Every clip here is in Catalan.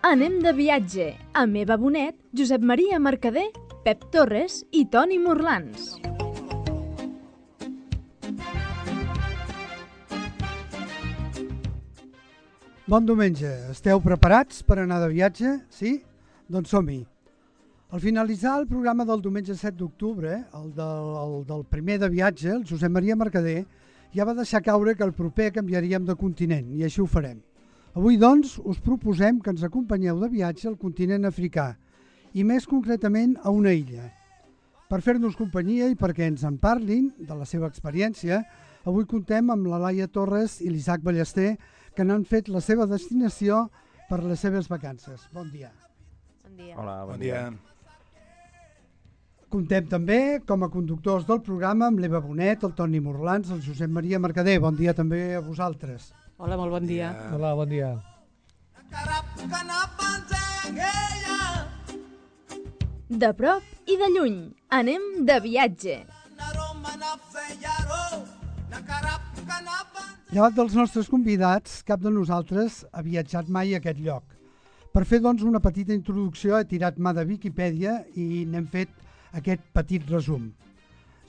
Anem de viatge amb Eva Bonet, Josep Maria Mercader, Pep Torres i Toni Morlans. Bon diumenge. Esteu preparats per anar de viatge? Sí? Doncs som-hi. Al finalitzar el programa del diumenge 7 d'octubre, el del primer de viatge, el Josep Maria Mercader, ja va deixar caure que el proper canviaríem de continent, i així ho farem. Avui, doncs, us proposem que ens acompanyeu de viatge al continent africà, i més concretament a una illa. Per fer-nos companyia i perquè ens en parlin de la seva experiència, avui contem amb la Laia Torres i l'Isaac Ballester, que n'han fet la seva destinació per les seves vacances. Bon dia. Bon dia. Hola, bon dia. Contem també com a conductors del programa amb l'Eva Bonet, el Toni Morlans, el Josep Maria Mercader. Bon dia també a vosaltres. Hola, molt bon dia. Hola, bon dia. De prop i de lluny, anem de viatge. Llevat dels nostres convidats, cap de nosaltres ha viatjat mai a aquest lloc. Per fer, doncs, una petita introducció, he tirat mà de Viquipèdia i n'hem fet aquest petit resum.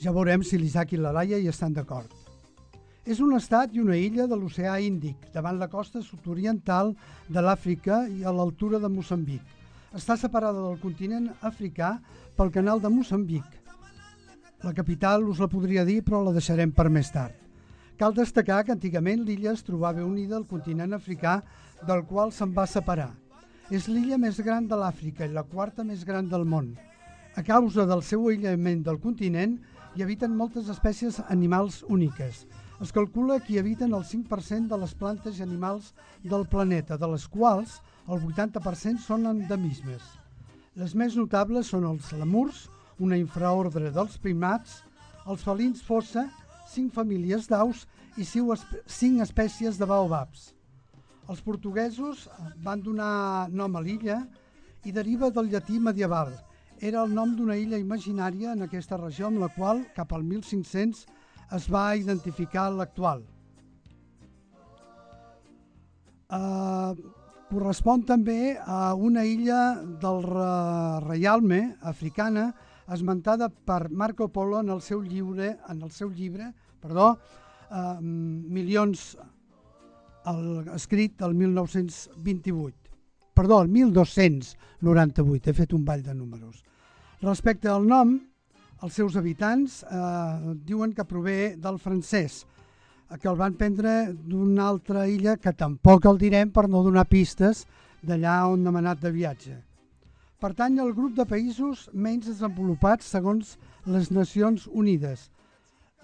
Ja veurem si l'Isaac i la Laia hi estan d'acord. És un estat i una illa de l'oceà Índic, davant la costa sud-oriental de l'Àfrica i a l'altura de Moçambic. Està separada del continent africà pel canal de Moçambic. La capital us la podria dir, però la deixarem per més tard. Cal destacar que antigament l'illa es trobava unida al continent africà, del qual se'n va separar. És l'illa més gran de l'Àfrica i la quarta més gran del món. A causa del seu aïllament del continent, hi habiten moltes espècies animals úniques. Es calcula que hi habiten el 5% de les plantes i animals del planeta, de les quals el 80% són endemismes. Les més notables són els lemurs, una infraordre dels primats, els felins fossa, 5 famílies d'aus i 5 espècies de baobabs. Els portuguesos van donar nom a l'illa i deriva del llatí medieval. Era el nom d'una illa imaginària en aquesta regió amb la qual, cap al 1500, es va identificar l'actual. Correspon també a una illa del Reialme africana esmentada per Marco Polo en el seu llibre, Milions, escrit el 1298. He fet un ball de números. Respecte al nom, els seus habitants diuen que prové del francès, que el van prendre d'una altra illa que tampoc el direm per no donar pistes d'allà on hem anat de viatge. Pertany al grup de països menys desenvolupats segons les Nacions Unides.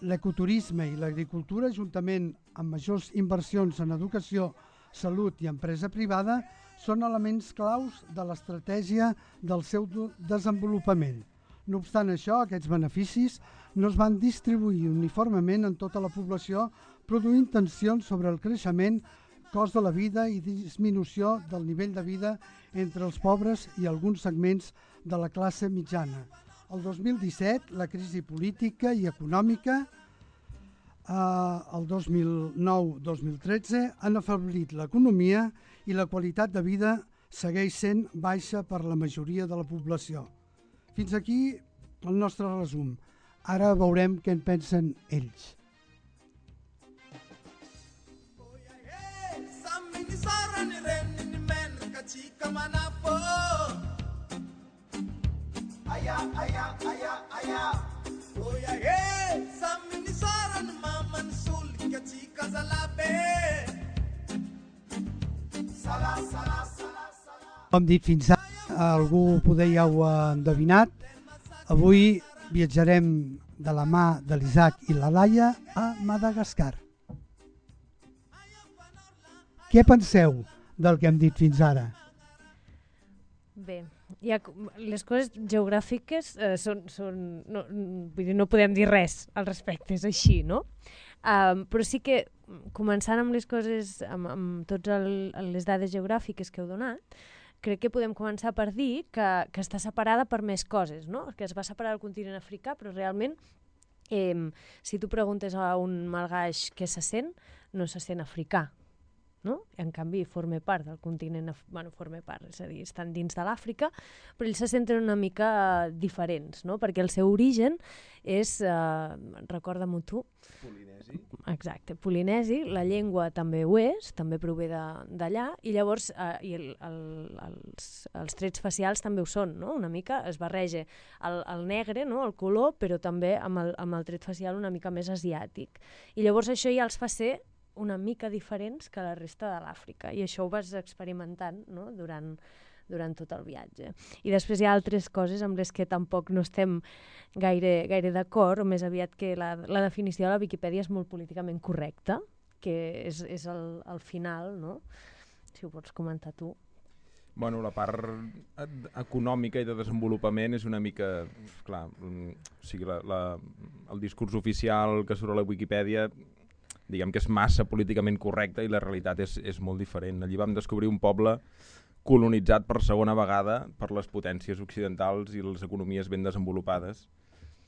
L'ecoturisme i l'agricultura, juntament amb majors inversions en educació, salut i empresa privada, són elements claus de l'estratègia del seu desenvolupament. No obstant això, aquests beneficis no es van distribuir uniformement en tota la població, produint tensions sobre el creixement, cost de la vida i disminució del nivell de vida entre els pobres i alguns segments de la classe mitjana. El 2017, la crisi política i econòmica, el 2009-2013, han afeblit l'economia i la qualitat de vida segueix sent baixa per la majoria de la població. Fins aquí el nostre resum. Ara veurem què en pensen ells. Com dit fins ara, algú poder ja ho ha endevinat. Avui viatjarem de la mà de l'Isaac i la Laia a Madagascar. Què penseu del que hem dit fins ara? Bé, les coses geogràfiques no podem dir res al respecte, és així, no? Però sí que, començant amb les coses, amb totes les dades geogràfiques que heu donat, crec que podem començar per dir que està separada per més coses, no? Que es va separar del continent africà, però realment, si tu preguntes a un malgaix què se sent, no se sent africà. no? En canvi, forma part del continent, forma part, és a dir, estan dins de l'Àfrica, però ells se senten una mica diferents, no? Perquè el seu origen és, recorda-m'ho tu, Polinesi. Exacte, polinesi, la llengua també ho és, també prové d'allà, i llavors els trets facials també ho són, no? Una mica es barreja el negre, no? El color, però també amb el tret facial una mica més asiàtic. I llavors això ja els fa ser una mica diferents que la resta de l'Àfrica, i això ho vas experimentant, no? durant tot el viatge. I després hi ha altres coses amb les que tampoc no estem gaire d'acord, o més aviat que la definició de la Viquipèdia és molt políticament correcta, que és el final, no? Si ho pots comentar tu. Bueno, la part econòmica i de desenvolupament és una mica... Clar, o sigui, el discurs oficial que surt a la Viquipèdia, diguem que és massa políticament correcte, i la realitat és molt diferent. Allí vam descobrir un poble colonitzat per segona vegada per les potències occidentals i les economies ben desenvolupades,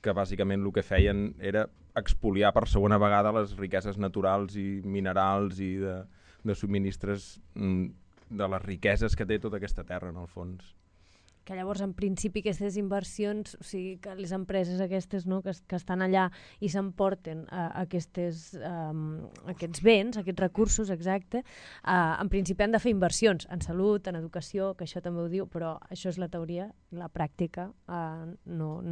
que bàsicament el que feien era expoliar per segona vegada les riqueses naturals i minerals i de subministres de les riqueses que té tota aquesta terra, en el fons. Que llavors, en principi, aquestes inversions, o sigui, que les empreses aquestes, no, que estan allà i s'emporten aquests béns, aquests recursos, exacte, en principi han de fer inversions en salut, en educació, que això també ho diu, però això és la teoria, la pràctica no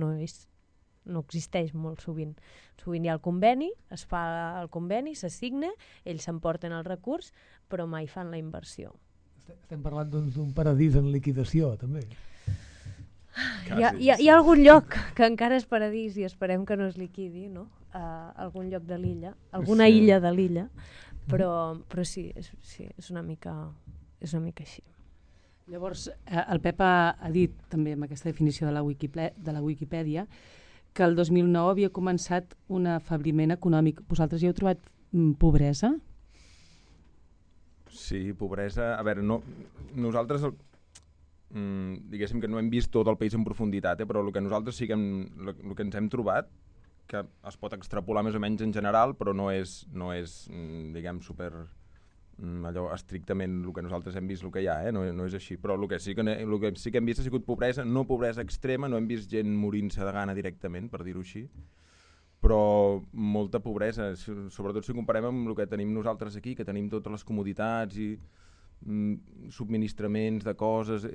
existeix molt sovint. Sovint hi ha el conveni, es fa el conveni, s'assigna, ells s'emporten el recurs, però mai fan la inversió. Estem parlant d'un paradís en liquidació, també. Hi ha algun lloc que encara és paradís i esperem que no es liquidi, no? Algun lloc de l'illa, alguna illa de l'illa, però sí, és una mica així. Llavors, el Pep ha dit també amb aquesta definició de la Wikipedia que el 2009 havia començat un afebliment econòmic. Vosaltres hi heu trobat pobresa? Sí, pobresa... A veure, nosaltres... diguéssim que no hem vist tot el país en profunditat, però el que nosaltres sí que el que ens hem trobat, que es pot extrapolar més o menys en general, però no és diguem, super allò estrictament el que nosaltres hem vist el que hi ha, no és així, però el que sí que hem vist ha sigut pobresa, no pobresa extrema, no hem vist gent morint-se de gana directament, per dir-ho així, però molta pobresa, sobretot si comparem amb el que tenim nosaltres aquí, que tenim totes les comoditats i subministraments de coses.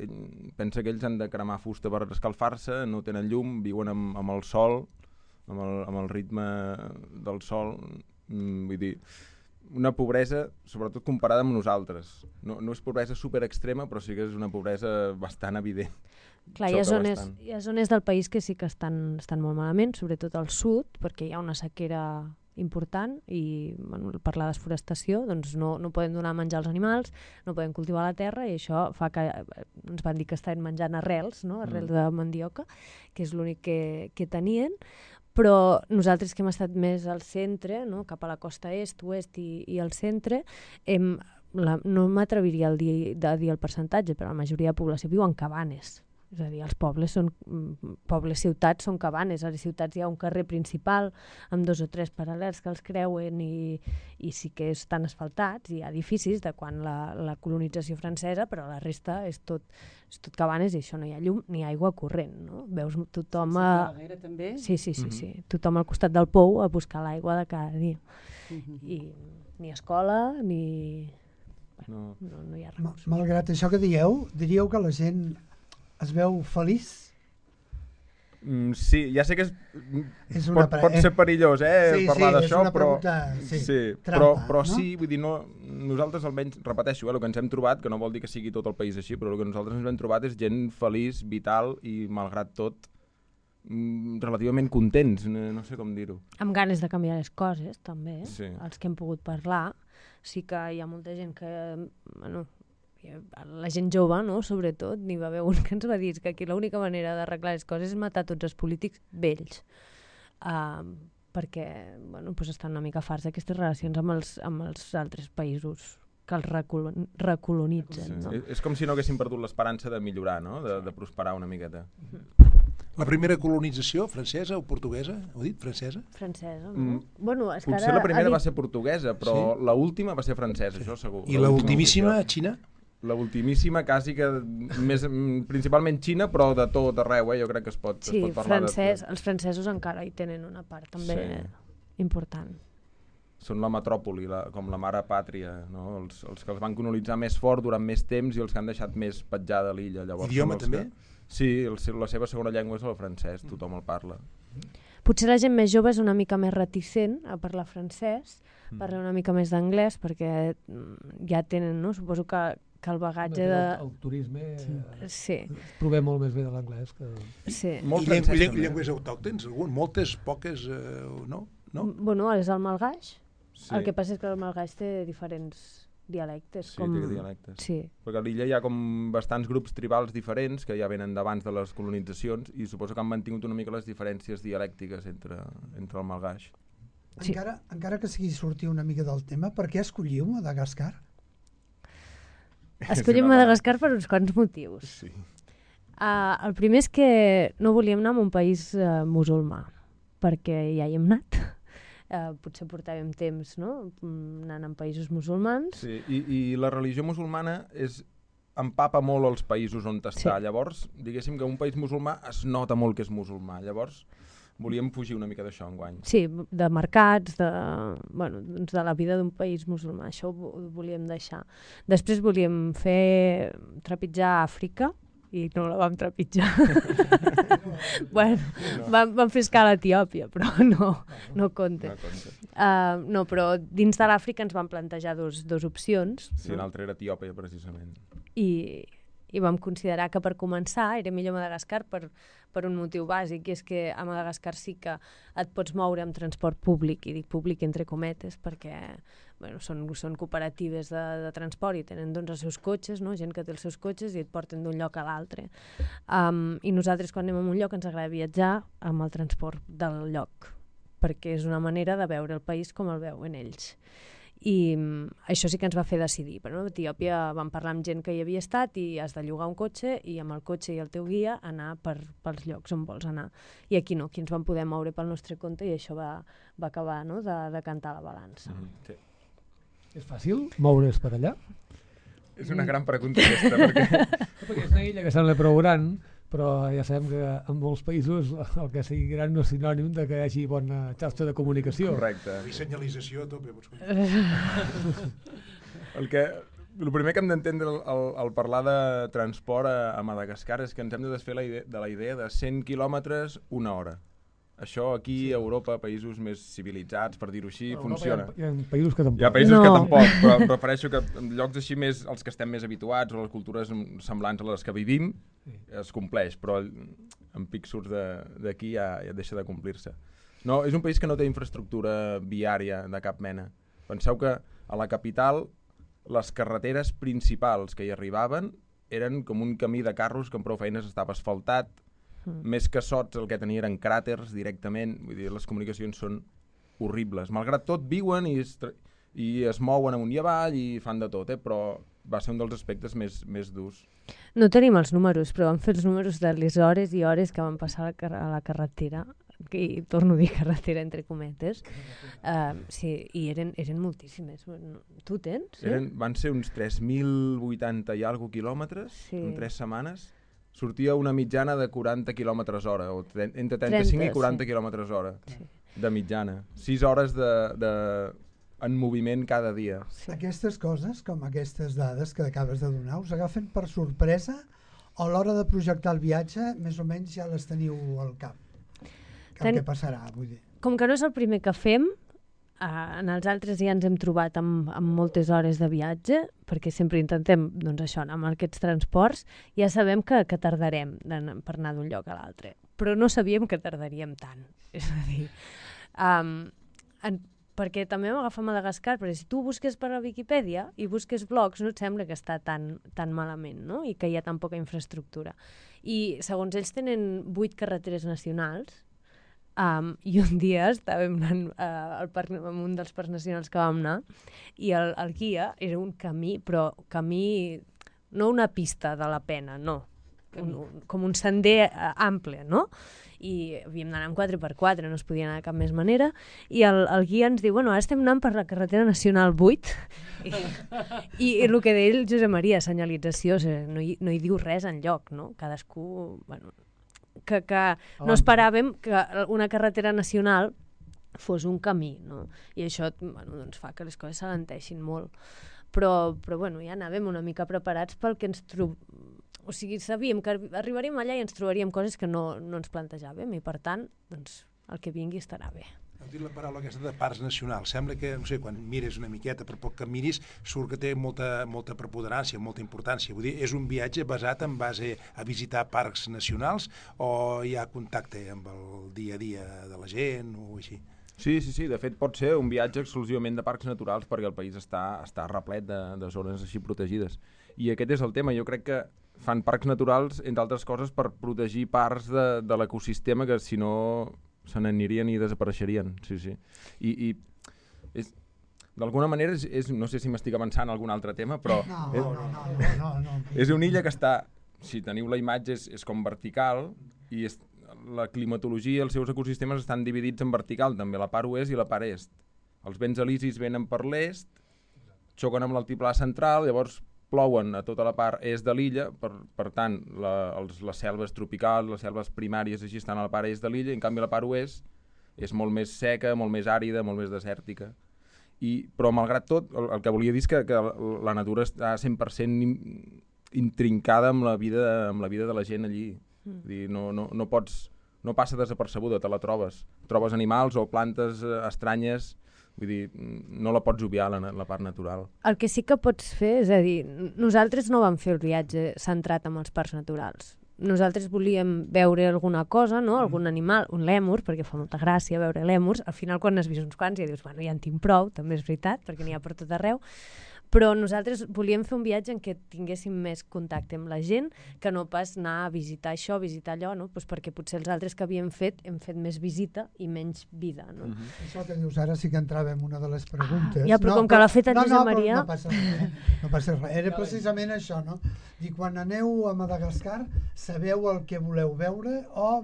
Pensa que ells han de cremar fusta per escalfar-se, no tenen llum, viuen amb el sol, amb el ritme del sol. Vull dir, una pobresa, sobretot comparada amb nosaltres. No és pobresa super extrema, però sí que és una pobresa bastant evident. Clar, hi ha zones del país que sí que estan molt malament, sobretot al sud, perquè hi ha una sequera important i per la desforestació doncs no poden donar menjar als animals, no poden cultivar la terra, i això fa que ens van dir que estaven menjant arrels, no? Arrels de mandioca, que és l'únic que tenien, però nosaltres que hem estat més al centre, no? Cap a la costa est, oest i al centre, no m'atreviria a dir el percentatge, però la majoria de població viu en cabanes. És a dir, els ciutats són cabanes. A les ciutats hi ha un carrer principal amb 2 o 3 paral·lels que els creuen i sí que estan asfaltats, i hi ha edificis de quan la colonització francesa, però la resta és tot cabanes, i això no hi ha llum ni aigua corrent, no? Veus tothom també? Sí. Tothom al costat del pou a buscar l'aigua de cada dia. I ni escola ni... No hi ha recursos. Malgrat això que diríeu que la gent es veu feliç? Sí, ja sé que pot ser perillós parlar d'això, però trampa, però sí, vull dir, nosaltres almenys, repeteixo, el que ens hem trobat, que no vol dir que sigui tot el país així, però el que nosaltres ens hem trobat és gent feliç, vital i, malgrat tot, relativament contents, no sé com dir-ho. Amb ganes de canviar les coses, també, sí. Els que hem pogut parlar. Sí que hi ha molta gent que... la gent jove, no? Sobretot, n'hi va haver un que ens va dir que aquí l'única manera d'arreglar les coses és matar tots els polítics vells, perquè estan una mica farts d'aquestes relacions amb els altres països que els recolonitzen. Sí. No? És com si no haguessin perdut l'esperança de millorar, no? De prosperar una miqueta. La primera colonització, francesa o portuguesa? Ho he dit, francesa? Francesa, no? Bueno, és que Potser ara la primera ha dit- va ser portuguesa, però Sí. la última va ser francesa, això segur. I la ultimíssima, Xina? La ultimíssima, quasi que principalment Xina, però de tot arreu, jo crec que es pot Sí, parlar els francesos encara hi tenen una part també important. Són la metròpoli, com la mare pàtria, no? Els que els van colonitzar més fort durant més temps i els que han deixat més petjada a l'illa. Idioma també? Sí, la seva segona llengua és el francès, tothom el parla. Potser la gent més jove és una mica més reticent a parlar francès, parla una mica més d'anglès, perquè ja tenen, no? Suposo que el bagatge de... El turisme Sí. provem molt més bé de l'anglès que... Sí. Molt I francès, també. llengües autòctons? Moltes, poques, no? Bueno, és el malgaix. Sí. El que passa és que el malgaix té diferents dialectes. Sí, té dialectes. Sí. Perquè a l'illa hi ha com bastants grups tribals diferents que ja venen d'abans de les colonitzacions i suposo que han mantingut una mica les diferències dialèctiques entre el malgaix. Sí. Encara que sigui sortir una mica del tema, per què escolliu Madagascar? Escollim Madagascar per uns quants motius. Sí. El primer és que no volíem anar a un país musulmà, perquè ja hi hem anat. Potser portàvem temps, no?, anant en països musulmans. Sí, i la religió musulmana empapa molt els països on està. Sí. Llavors, diguéssim que un país musulmà es nota molt que és musulmà. Llavors, volíem fugir una mica d'això enguany. Sí, de mercats, doncs de la vida d'un país musulmà. Això ho volíem deixar. Després volíem trepitjar Àfrica, i no la vam trepitjar. Vam fer escala a Etiòpia, però no compta. No, però dins de l'Àfrica ens vam plantejar dos opcions. Sí, l'altra era Etiòpia, precisament. I vam considerar que per començar era millor Madagascar per un motiu bàsic, i és que a Madagascar sí que et pots moure amb transport públic, i dic públic entre cometes perquè són cooperatives de transport i tenen doncs els seus cotxes, no? Gent que té els seus cotxes i et porten d'un lloc a l'altre. I nosaltres quan anem a un lloc ens agrada viatjar amb el transport del lloc, perquè és una manera de veure el país com el veuen ells. I això sí que ens va fer decidir. Però a Etiòpia vam parlar amb gent que hi havia estat i has de llogar un cotxe i amb el cotxe i el teu guia anar pels llocs on vols anar. I aquí no, aquí ens vam poder moure pel nostre compte i això va acabar, no?, de cantar la balança. Sí. És fàcil moure's per allà? És una gran pregunta aquesta, perquè... Perquè és una illa que sembla prou gran, però ja sabem que en molts països el que sigui gran no és sinònim de que hi hagi bona xarxa de comunicació. Correcte. I senyalització a tope. El primer que hem d'entendre al parlar de transport a Madagascar és que ens hem de desfer de la idea de 100 quilòmetres una hora. Això aquí a Europa, països més civilitzats, per dir-ho així, funciona. Hi ha països que tampoc. Hi ha països que tampoc, però em refereixo que en llocs així més, els que estem més habituats o les cultures semblants a les que vivim, es compleix, però en pics surts d'aquí ja deixa de complir-se. No, és un país que no té infraestructura viària de cap mena. Penseu que a la capital les carreteres principals que hi arribaven eren com un camí de carros que amb prou feines estava asfaltat, més que sots el que tenia eren cràters directament, vull dir, les comunicacions són horribles. Malgrat tot viuen i es mouen amunt i avall i fan de tot, però va ser un dels aspectes més durs. No tenim els números, però vam fer els números de les hores i hores que van passar a la carretera, i torno a dir carretera entre cometes. Sí, i eren moltíssimes. Tu tens? Sí? Van ser uns 3.080 i alguna quilòmetres en 3 setmanes. Sortia una mitjana de 40 km/h, o entre 35 i 40 km/h de mitjana. 6 hores en moviment cada dia. Sí. Aquestes coses, com aquestes dades que acabes de donar, us agafen per sorpresa o a l'hora de projectar el viatge més o menys ja les teniu al cap? Què passarà, vull dir? Com que no és el primer que fem, en els altres ja ens hem trobat amb moltes hores de viatge, perquè sempre intentem doncs això, anar amb aquests transports, ja sabem que tardarem per anar d'un lloc a l'altre, però no sabíem que tardaríem tant. És a dir, perquè també vam agafar Madagascar, perquè si tu busques per la Viquipèdia i busques blogs, no et sembla que està tan malament, no?, i que hi ha tan poca infraestructura. I segons ells tenen 8 carreteres nacionals, i un dia estàvem anant en un dels parcs nacionals que vam anar i el guia era un camí, però camí, no una pista de la pena, no. com un sender ample, no? I havíem d'anar amb 4x4, no es podia anar de cap més manera, i el guia ens diu, bueno, ara estem anant per la carretera nacional 8, i el que deia el Josep Maria, senyalització, o sigui, no hi diu res enlloc, no? Cadascú, bueno, que no esperàvem que una carretera nacional fos un camí, no? I això, bueno, doncs fa que les coses s'alenteixin molt. Però bueno, ja anàvem una mica preparats pel que ens o sigui, sabíem que arribaríem allà i ens trobaríem coses que no ens plantejàvem i, per tant, doncs, el que vingui estarà bé. Heu dit la paraula aquesta de parcs nacionals. Sembla que, no sé, quan mires una miqueta, per poc que miris, surt que té molta preponderància, molta importància. Vull dir, és un viatge basat en base a visitar parcs nacionals o hi ha contacte amb el dia a dia de la gent o així? Sí. De fet, pot ser un viatge exclusivament de parcs naturals perquè el país està replet de zones així protegides. I aquest és el tema. Jo crec que fan parcs naturals, entre altres coses, per protegir parts de l'ecosistema que, si no, se n'anirien i desapareixerien. Sí. I d'alguna manera, no sé si m'estic avançant a algun altre tema, però No. és una illa que està, si teniu la imatge, és com vertical, i la climatologia, els seus ecosistemes estan dividits en vertical, també la part oest i la part est. Els vents alisis venen per l'est, xoquen amb l'altiplà central, llavors plouen a tota la part est de l'illa, per tant, les selves tropicals, les selves primàries així estan a la part est de l'illa, i en canvi la part oest és molt més seca, molt més àrida, molt més desèrtica. Però malgrat tot, el que volia dir és que la natura està 100% intrincada amb la vida de la gent allí. Dir, no passa desapercebuda, te la trobes. Trobes animals o plantes estranyes, vull dir, no la pots obviar, la part natural. El que sí que pots fer, és a dir, nosaltres no vam fer el viatge centrat en els parcs naturals. Nosaltres volíem veure alguna cosa, no? Algun animal, un lèmur, perquè fa molta gràcia veure lèmurs. Al final, quan has vist uns quants, ja dius, bueno, ja en tinc prou, també és veritat, perquè n'hi ha per tot arreu. Però nosaltres volíem fer un viatge en què tinguéssim més contacte amb la gent, que no pas anar a visitar això, visitar allò, no? Pues perquè potser els altres que havíem fet hem fet més visita i menys vida, no? Això que dius ara sí que entrava en una de les preguntes. Ja, però com que l'ha fet el Josep Maria... No passa res, Era precisament això, no? I quan aneu a Madagascar, sabeu el que voleu veure o...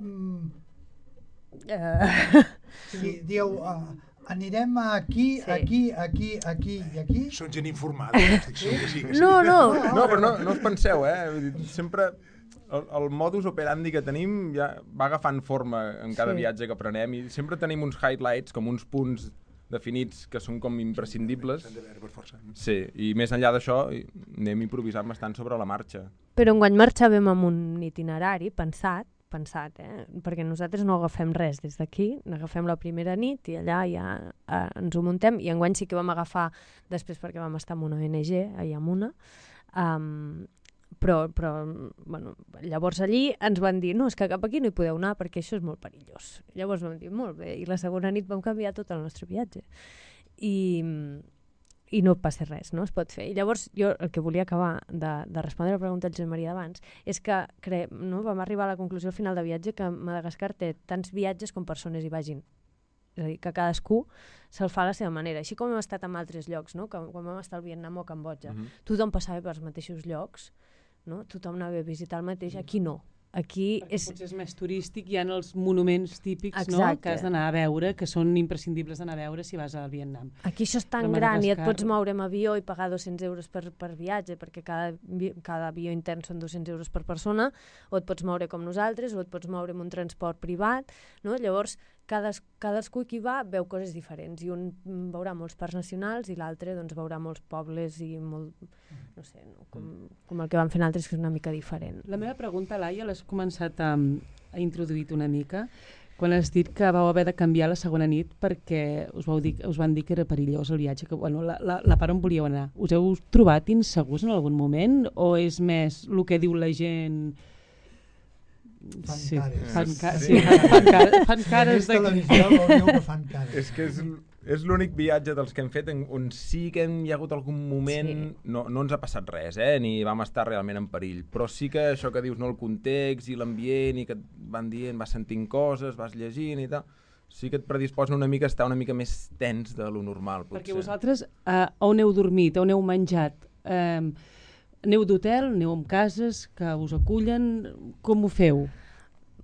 Sí, dieu... Anirem aquí, aquí i aquí. Són gent informada. No, però no us penseu, sempre el modus operandi que tenim ja va agafant forma en cada viatge que prenem i sempre tenim uns highlights, com uns punts definits que són com imprescindibles. S'han de veure per força. Sí, i més enllà d'això anem improvisant bastant sobre la marxa. Però enguany marxàvem amb un itinerari pensat, perquè nosaltres no agafem res des d'aquí, agafem la primera nit i allà ja ens ho muntem, i enguany sí que vam agafar després perquè vam estar amb una ONG a Yamuna, però bueno, llavors allí ens van dir, no, és que cap aquí no hi podeu anar perquè això és molt perillós. Llavors vam dir, molt bé, i la segona nit vam canviar tot el nostre viatge. I no passa res, no? Es pot fer. I llavors jo el que volia acabar de respondre la pregunta del Josep Maria d'abans és que vam arribar a la conclusió al final de viatge que Madagascar té tants viatges com persones hi vagin. És a dir, que cadascú se'l fa a la seva manera. Així com hem estat en altres llocs, no? Quan vam estar al Vietnam o a Cambodja, tothom passava pels mateixos llocs, no? Tothom anava a visitar el mateix, aquí no. Aquí potser és més turístic, hi ha els monuments típics, no? Que has d'anar a veure, que són imprescindibles d'anar a veure si vas al Vietnam. Aquí això és tan gran i et pots moure amb avió i pagar 200 euros per viatge, perquè cada avió intern són 200 euros per persona, o et pots moure com nosaltres, o et pots moure amb un transport privat, no? Llavors, cadascú qui va veu coses diferents, i un veurà molts parcs nacionals i l'altre doncs, veurà molts pobles i molt, no sé, no? Com el que van fer altres, que és una mica diferent. La meva pregunta, Laia, l'has començat a introduir una mica quan has dit que vau haver de canviar la segona nit perquè us van dir que era perillós el viatge, que bueno, la part on volíeu anar. Us heu trobat insegurs en algun moment o és més el que diu la gent? Fan cares de És que és l'únic viatge dels que hem fet on sí que hi ha hagut algun moment, no ens ha passat res, ni vam estar realment en perill, però sí que això que dius, no, el context i l'ambient i que et van dient, vas sentint coses, vas llegint i tal, sí que et predisposa una mica a estar una mica més tens de lo normal, potser. Perquè vosaltres on heu dormit, on heu menjat, Aneu d'hotel, aneu amb cases que us acullen, com ho feu?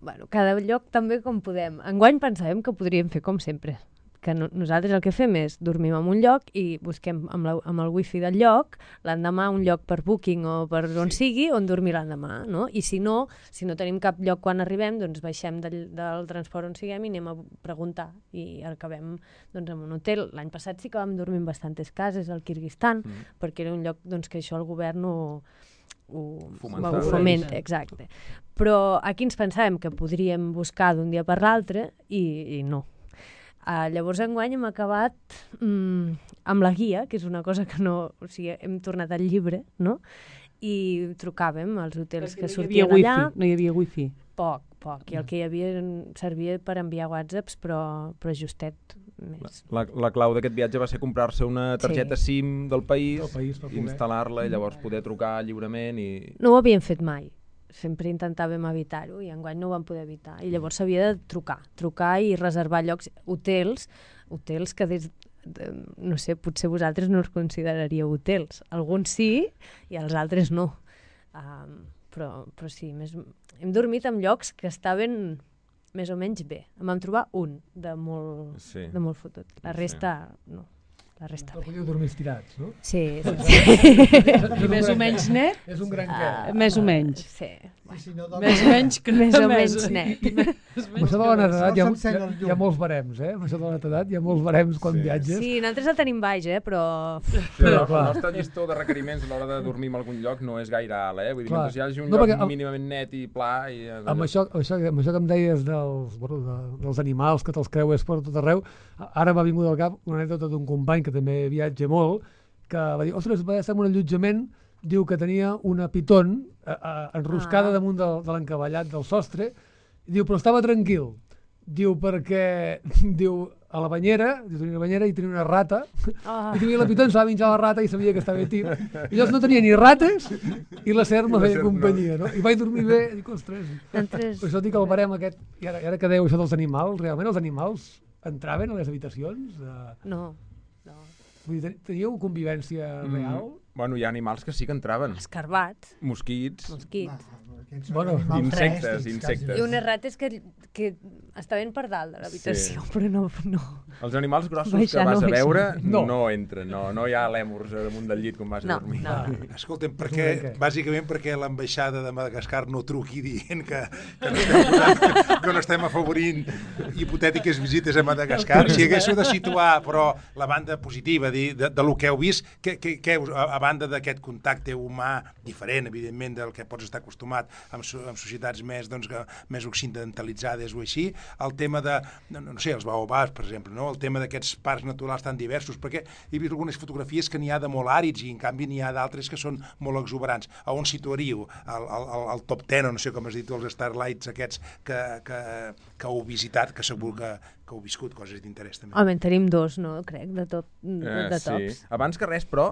Bueno, cada lloc també com podem. Enguany pensàvem que podríem fer com sempre, que nosaltres el que fem és dormim en un lloc i busquem amb el wifi del lloc l'endemà un lloc per Booking o per on sigui on dormir l'endemà, no? I si no tenim cap lloc quan arribem, doncs baixem del transport on siguem i anem a preguntar i acabem doncs, en un hotel. L'any passat sí que vam dormir en bastantes cases al Kirguistan, perquè era un lloc doncs, que això el govern ho fomenta, exacte. Però aquí ens pensàvem que podríem buscar d'un dia per l'altre i no. Llavors enguany hem acabat amb la guia, que és una cosa que no... O sigui, hem tornat al llibre, no? I trucàvem als hotels que sortien allà. No hi havia wifi? Poc. I el que hi havia servia per enviar whatsapps, però justet més. La clau d'aquest viatge va ser comprar-se una targeta SIM del país instal·lar-la i llavors poder trucar lliurement i... No ho havíem fet mai. Sempre intentàvem evitar-ho i enguany no ho vam poder evitar. I llavors s'havia de trucar i reservar llocs, hotels que no sé, potser vosaltres no els consideraríeu hotels. Alguns sí i els altres no. Però sí, hem dormit en llocs que estaven més o menys bé. En vam trobar un de molt fotut. La resta no. La resta bé. Podíeu dormir estirats, no? Sí. Més o menys net? És un gran què. Més o menys. Sí. Més o menys que més o menys net. Amb això de la netedat hi ha molts barems, Amb això de la netedat hi ha molts barems quan viatges. Sí, nosaltres el tenim baix, però... Però el nostre llistó de requeriments a l'hora de dormir en algun lloc no és gaire alt, Vull dir, mentre hi hagi un lloc mínimament net i pla... Amb això que em deies dels animals que te'ls creues per tot arreu, ara m'ha vingut al cap una anècdota d'un company que també viatja molt, que va dir, ostres, va estar en un allotjament, diu que tenia una piton enroscada damunt de l'encavallat del sostre, diu, però estava tranquil. Diu, perquè, a la banyera, tenia una banyera i tenia una rata, i tenia la piton, s'ha menjar la rata i sabia que estava tip. I llavors no tenia ni rates i la serp me feia companyia, no? I vaig dormir bé, i dic, ostres. Per això dic el barem aquest, i ara que dèieu això dels animals, realment els animals entraven a les habitacions? No. Vull dir, teníeu convivència real? Bueno, hi ha animals que sí que entraven. Escarbats. Mosquits. Insectes. I unes rates que estaven per dalt de l'habitació, però no. Els animals grossos que vas a veure no entren, no hi ha lèmurs damunt del llit quan vas a dormir. Escolta'm, bàsicament perquè l'ambaixada de Madagascar no truqui dient que no estem afavorint hipotètiques visites a Madagascar. Si haguéssiu de situar, però, la banda positiva de lo que heu vist, a banda d'aquest contacte humà diferent, evidentment, del que pots estar acostumat amb societats més occidentalitzades o així, el tema de, no sé, els baobabs, per exemple, no? El tema d'aquests parcs naturals tan diversos, perquè he vist algunes fotografies que n'hi ha de molt àrids i en canvi n'hi ha d'altres que són molt exuberants. A on situaríeu? El top 10, o no sé com has dit, els Starlights aquests que heu visitat, que segur que heu viscut coses d'interès també. Home, en tenim dos, no? Crec, de tops. Sí. Abans que res, però,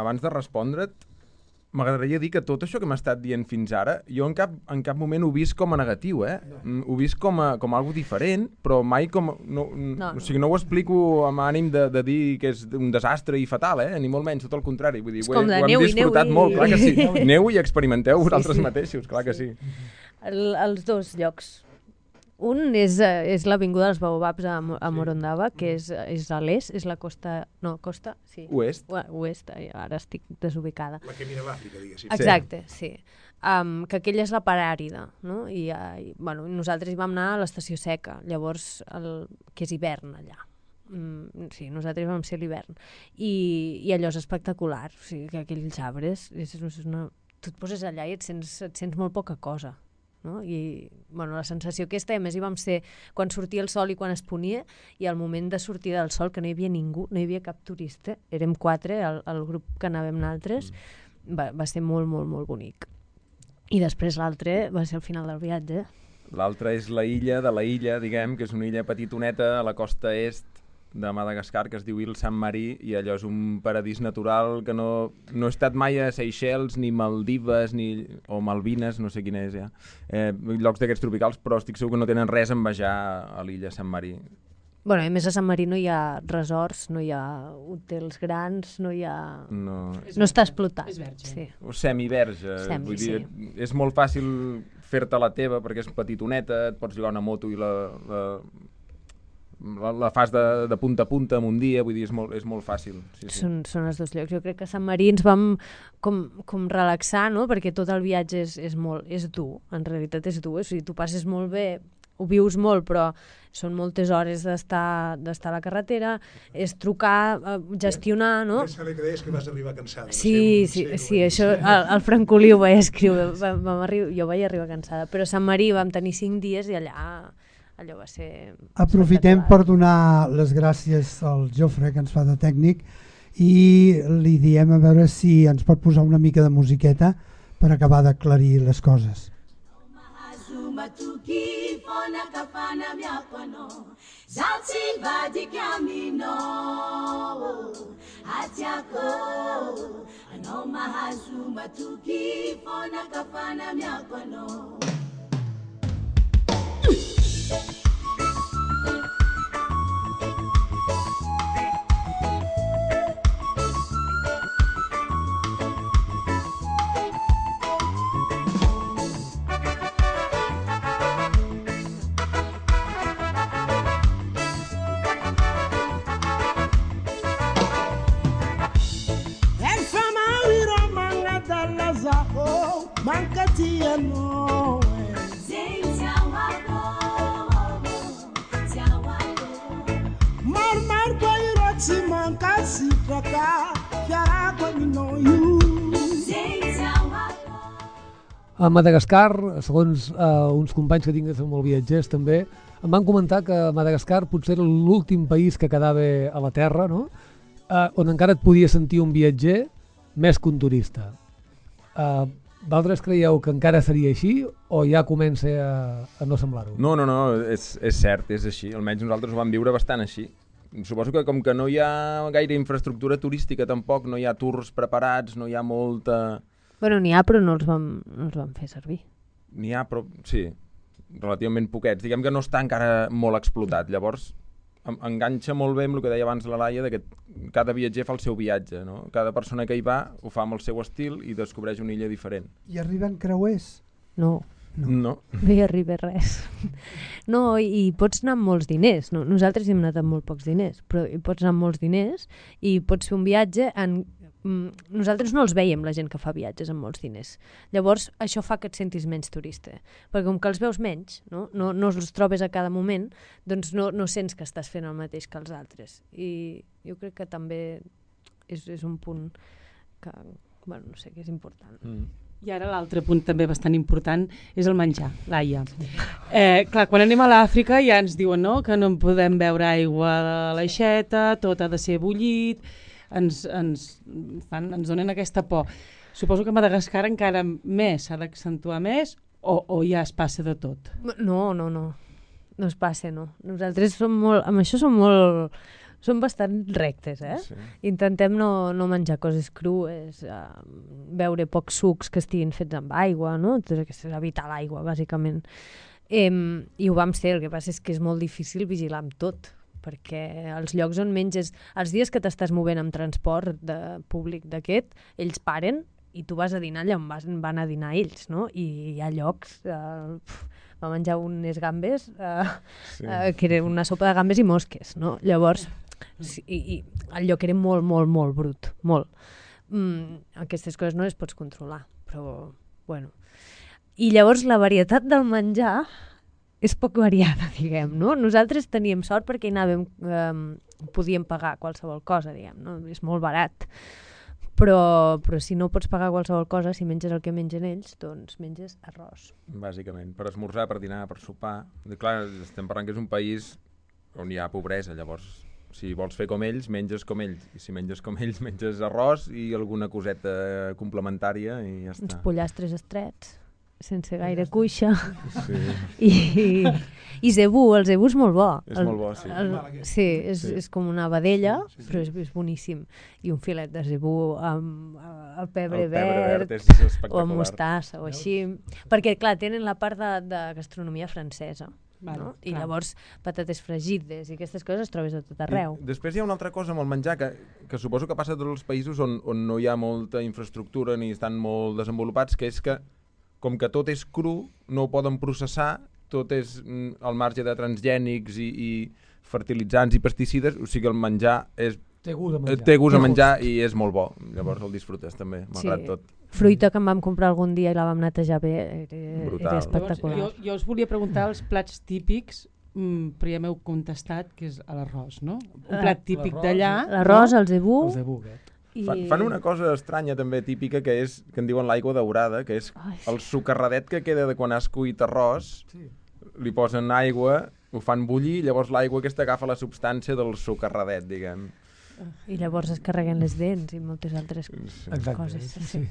abans de respondre't, m'agradaria dir que tot això que m'ha estat dient fins ara, jo en cap moment ho he vist com a negatiu, Ho he vist com algo diferent, però mai com... O sigui, no ho explico amb ànim de dir que és un desastre i fatal, Ni molt menys, tot el contrari. Vull dir, ho hem disfrutat molt, clar que sí. Neu i experimenteu vosaltres mateixos, clar que sí. Els dos llocs. Un és l'avinguda dels Baobabs a Morondava, que és a l'est, és la costa... No, costa? Sí. Oest. Oest, ara estic desubicada. La que mira l'Àfrica, diguéssim. Exacte, sí. Que aquella és la part àrida, no? I nosaltres hi vam anar a l'estació seca, llavors, que és hivern allà. Sí, nosaltres vam ser a l'hivern. I allò és espectacular, o sigui, que aquells arbres, tu et poses allà i et sents molt poca cosa. No? I la sensació aquesta, a més hi vam ser quan sortia el sol i quan es ponia, i al moment de sortir del sol, que no hi havia ningú, no hi havia cap turista, érem 4, el grup que anàvem nosaltres, va ser molt, molt, molt bonic. I després l'altre va ser el final del viatge. L'altre és la illa de la illa, diguem, que és una illa petitoneta a la costa est de Madagascar, que es diu Île Saint-Marie, i allò és un paradís natural que no he estat mai a Seychelles, ni Maldives, o Malvines, no sé quina és ja, llocs d'aquests tropicals, però estic segur que no tenen res a envejar a l'illa Saint-Marie. Bueno, a més a Sant Marí no hi ha resorts, no hi ha hotels grans, no hi ha... No, No està explotat. És verge. Sí. o semiverge, vull dir, és molt fàcil fer-te la teva perquè és petitoneta, et pots jugar una moto i la fas de punta a punta en un dia, vull dir, és molt fàcil. Sí. Són els dos llocs. Jo crec que a Sant Marí ens vam com relaxar, no? Perquè tot el viatge és dur, en realitat és dur. O sigui, tu passes molt bé, ho vius molt, però són moltes hores d'estar a la carretera, és trucar, gestionar, no? Pensa que deies que vas arribar cansada. Sí, això el Francolí ho vaig escriure, jo vaig arribar cansada, però a Sant Marí vam tenir 5 dies i allò va ser... Aprofitem per donar les gràcies al Jofre, que ens fa de tècnic, i li diem a veure si ens pot posar una mica de musiqueta per acabar d'aclarir les coses. Tukifona kafana myakono Zalti badi kamino Hatiako Anoma hazuma tukifona kafana myakono A Madagascar, segons uns companys que tinc que són molt viatgers també, em van comentar que Madagascar potser era l'últim país que quedava a la Terra, no? On encara et podia sentir un viatger més que un turista. Vosaltres creieu que encara seria així o ja comença a no semblar-ho? No, és cert, és així. Almenys nosaltres ho vam viure bastant així. Suposo que com que no hi ha gaire infraestructura turística tampoc, no hi ha tours preparats, no hi ha molta... Bueno, n'hi ha, però no els vam fer servir. N'hi ha, però sí, relativament poquets. Diguem que no està encara molt explotat. Llavors, enganxa molt bé amb el que deia abans la Laia, que cada viatger fa el seu viatge, no? Cada persona que hi va ho fa amb el seu estil i descobreix una illa diferent. I arriben creuers? No hi arriba res. No, i pots anar amb molts diners. No? Nosaltres hem anat amb molt pocs diners, però hi pots anar amb molts diners i pots fer un viatge en... Nosaltres no els veiem, la gent que fa viatges amb molts diners. Llavors, això fa que et sentis menys turista. Perquè com que els veus menys, no els trobes a cada moment, doncs no sents que estàs fent el mateix que els altres. I jo crec que també és un punt que, bueno, no sé, que és important. I ara l'altre punt també bastant important és el menjar, Laia. Clar, quan anem a l'Àfrica ja ens diuen que no podem beure aigua de l'aixeta, tot ha de ser bullit, ens donen aquesta por. Suposo que a Madagascar encara més s'ha d'accentuar més o ja es passa de tot? No es passa, no. Nosaltres amb això som bastant rectes, Sí. Intentem no menjar coses crues, beure pocs sucs que estiguin fets amb aigua, no? És evitar l'aigua, bàsicament. I ho vam ser, el que passa és que és molt difícil vigilar amb tot, perquè els llocs on menges, els dies que t'estàs movent amb transport públic d'aquest, ells paren i tu vas a dinar allà on van a dinar ells, no? I hi ha llocs... va menjar unes gambes, que era una sopa de gambes i mosques, no? Llavors, i el lloc era molt, molt, molt brut, molt. Aquestes coses no les pots controlar, però, bueno. I llavors la varietat del menjar és poc variada, diguem, no? Nosaltres teníem sort perquè hi anàvem, podíem pagar qualsevol cosa, diguem, no? És molt barat. Però si no pots pagar qualsevol cosa, si menges el que mengen ells, doncs menges arròs. Bàsicament, per esmorzar, per dinar, per sopar. Clar, estem parlant que és un país on hi ha pobresa, llavors si vols fer com ells, menges com ells. I si menges com ells, menges arròs i alguna coseta complementària i ja està. Uns pollastres estrets, sense gaire cuixa. Sí. I zebú, el zebú és molt bo. És molt bo, sí. Sí, és com una vedella, però és boníssim. I un filet de zebú amb el pebre verd és espectacular. O amb mostassa o així. Perquè, clar, tenen la part de gastronomia francesa. no? I llavors patates fregides i aquestes coses trobes a tot arreu. I després hi ha una altra cosa amb el menjar que suposo que passa a tots els països on no hi ha molta infraestructura ni estan molt desenvolupats, que és que com que tot és cru, no ho poden processar, tot és al marge de transgènics i fertilitzants i pesticides, o sigui el menjar té gust a menjar. Té gust a menjar i és molt bo, llavors el disfrutes també, malgrat tot. Fruita que em vam comprar algun dia i la vam netejar bé, era espectacular. Llavors, jo us volia preguntar els plats típics, però ja m'heu contestat que és l'arròs, no? Un plat típic d'allà. L'arròs, el zebú. El zebú, Fan una cosa estranya també típica que en diuen l'aigua daurada, que és el socarradet que queda de quan has cuit arròs, li posen aigua, ho fan bullir, llavors l'aigua aquesta agafa la substància del socarradet, diguem. I llavors es carreguen les dents i moltes altres coses. Sí.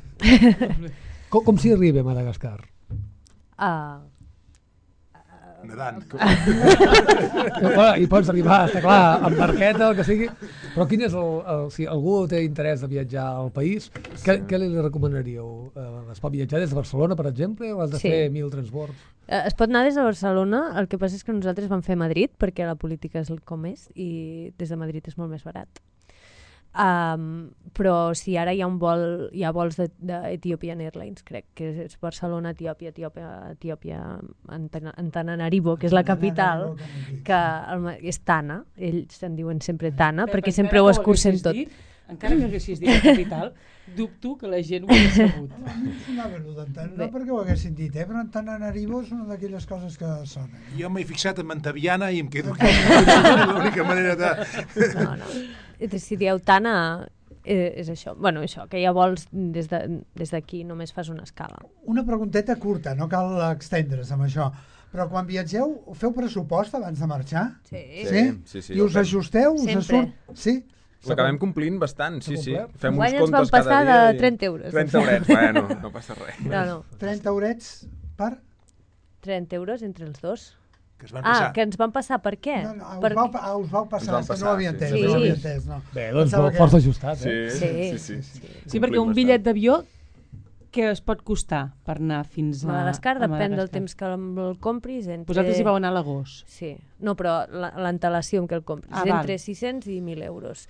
Com s'hi arriba a Madagascar? Nedant. I pots arribar, està clar, amb barqueta, el que sigui. Però quin és si algú té interès de viatjar al país, què li recomanaríeu? Es pot viatjar des de Barcelona, per exemple, o has de fer 1000 transbords? Es pot anar des de Barcelona, el que passa és que nosaltres vam fer Madrid, perquè la política és com és, i des de Madrid és molt més barat. Però si ara hi ha vols d'Ethiopian Airlines, crec que és Barcelona, Etiòpia, Antananarivo, que és la capital, que és Tana, ells en diuen sempre Tana, perquè sempre ho escurcen tot. Encara que haguessis dit la capital, dubto que la gent ho hagués sabut. No perquè ho haguessin dit, però Antananarivo és una d'aquelles coses que sonen. Jo m'he fixat en Mantaviana i em quedo aquí. L'única manera de... No. Si dieu Tana, és això. Bueno, això, que hi ha vols des d'aquí, només fas una escala. Una pregunteta curta, no cal extendre's amb això. Però quan viatgeu, feu pressupost abans de marxar? Sí. I us ajusteu? Sempre. Sí? L'acabem complint bastant, sí. Fem uns comptes cada dia. Guany ens van passar de 30 euros. 30 eurets, bueno, no passa res. No. 30 eurets per? 30 euros entre els dos. Que es van passar. Que ens van passar, per què? No, us vau passar, que no ho havia entès. Sí. No ho havia entès, no. Bé, doncs força ajustat, Sí, perquè un bitllet d'avió què es pot costar per anar fins a Madagascar? Depèn del temps que el compris. Vosaltres hi vau anar a l'agost. Sí. No, però l'antelació en què el compris. Entre 600 i 1.000 euros.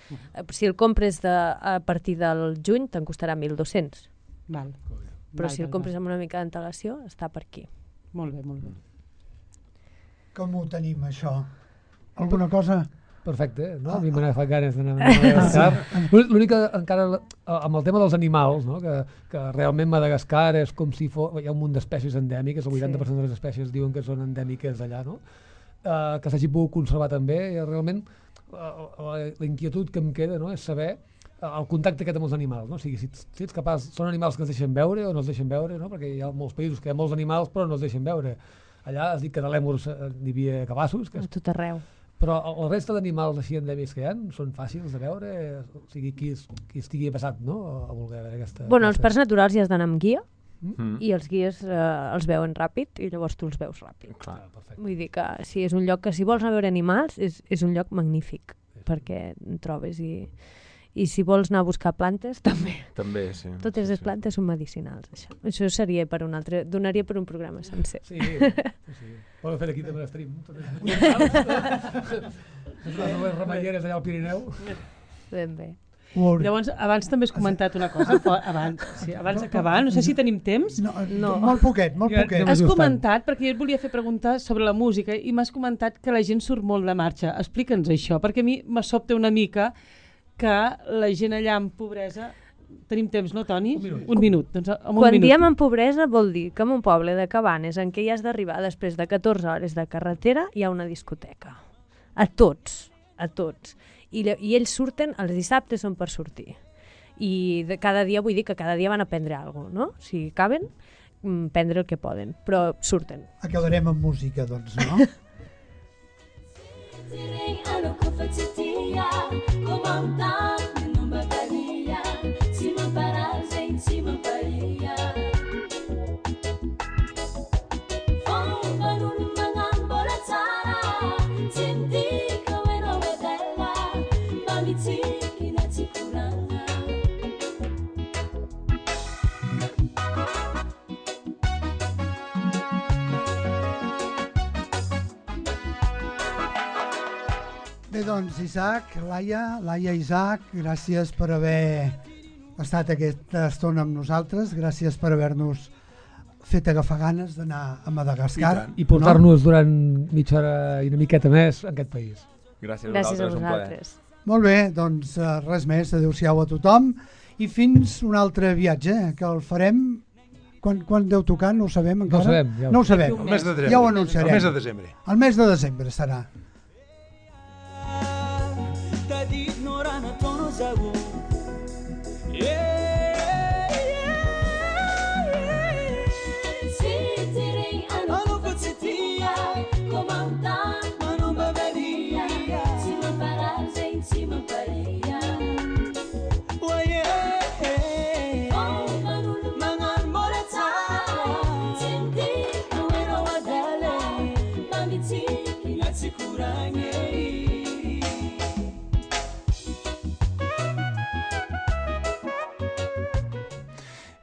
Si el compres a partir del juny, te'n costarà 1.200. Però si el compres amb una mica d'antelació, està per aquí. Molt bé, molt bé. Com ho tenim, això? Alguna cosa? Perfecte, no? A mi me n'ha fet ganes d'anar a Madagascar. L'únic que encara, amb el tema dels animals, no? que realment Madagascar és com si hi ha un munt d'espècies endèmiques, el 80% de les espècies diuen que són endèmiques d'allà, no? Que s'hagi pogut conservar també, i realment la inquietud que em queda, no? És saber el contacte aquest amb els animals, no? O sigui, si ets capaç, són animals que es deixen veure o no es deixen veure, no? Perquè hi ha molts països que hi ha molts animals però no es deixen veure. Allà has dit que de lèmurs n'hi havia cabassos. A tot arreu. Però la resta d'animals així endèmics que hi ha són fàcils de veure? O sigui, qui estigui passat, no? A voler veure aquesta... Bueno, els parcs naturals ja has d'anar amb guia i els guies els veuen ràpid i llavors tu els veus ràpid. Clar, perfecte. Vull dir que si és un lloc que si vols anar a veure animals és un lloc magnífic perquè en trobes i si vols anar a buscar plantes també. També, sí. Totes les plantes són medicinals, això. Això seria per un altre... Donaria per un programa sencer. Sí. Podem fer aquí també l'estream. Les remeieres allà al Pirineu. Ben bé. Llavors, abans també has comentat una cosa, abans d'acabar, no sé si tenim temps. No. Molt poquet. Has comentat, perquè jo et volia fer preguntar sobre la música, i m'has comentat que la gent surt molt de marxa. Explica'ns això, perquè a mi me sobta una mica que la gent allà en pobresa... Tenim temps, no, Toni? Un minut. Doncs Quan diem en pobresa vol dir que en un poble de Cabanes en què hi has d'arribar després de 14 hores de carretera hi ha una discoteca. A tots. I ells surten, els dissabtes són per sortir. I cada dia, vull dir que cada dia van a prendre alguna cosa, no? Si caben, prendre el que poden, però surten. Acabarem amb música, doncs, no? doncs Isaac, Laia Isaac, gràcies per haver estat aquesta estona amb nosaltres, gràcies per haver-nos fet agafar ganes d'anar a Madagascar. I portar-nos durant mitja hora i una miqueta més en aquest país. Gràcies Gràcies a un plaer. vosaltres. Molt bé, doncs res més, adeu-siau a tothom i fins un altre viatge, que el farem... Quan deu tocar? No ho sabem encara? No ho sabem. Ja. No ho sabem. El mes de desembre. Ja ho anunciarem. El mes de desembre. El mes de desembre serà.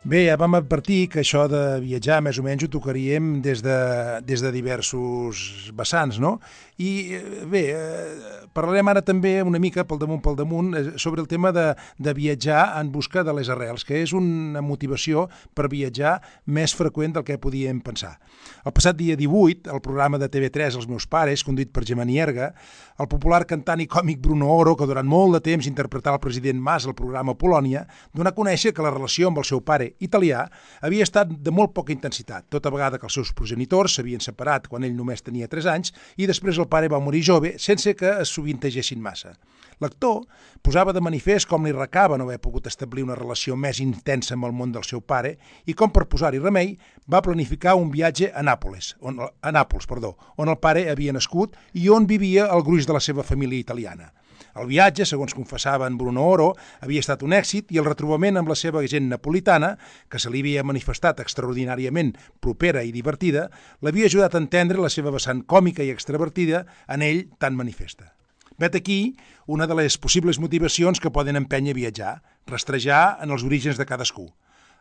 Bé, ja vam advertir que això de viatjar més o menys ho tocaríem des de diversos vessants, no? I bé, parlarem ara també una mica pel damunt sobre el tema de viatjar en busca de les arrels, que és una motivació per viatjar més freqüent del que podíem pensar. El passat dia 18, el programa de TV3 Els meus pares, conduït per Gemma Nierga, el popular cantant i còmic Bruno Oro, que durant molt de temps interpretava el president Mas al programa Polònia, donà a conèixer que la relació amb el seu pare italià havia estat de molt poca intensitat, tota vegada que els seus progenitors s'havien separat quan ell només tenia 3 anys i després el pare va morir jove sense que es sovintegessin massa. L'actor posava de manifest com li recava no haver pogut establir una relació més intensa amb el món del seu pare i com per posar-hi remei va planificar un viatge a Nàpols, on el pare havia nascut i on vivia el gruix de la seva família italiana. El viatge, segons confessava en Bruno Oro, havia estat un èxit i el retrobament amb la seva gent napolitana, que se li havia manifestat extraordinàriament propera i divertida, l'havia ajudat a entendre la seva vessant còmica i extravertida en ell tan manifesta. Vet aquí una de les possibles motivacions que poden empènyer a viatjar, rastrejar en els orígens de cadascú.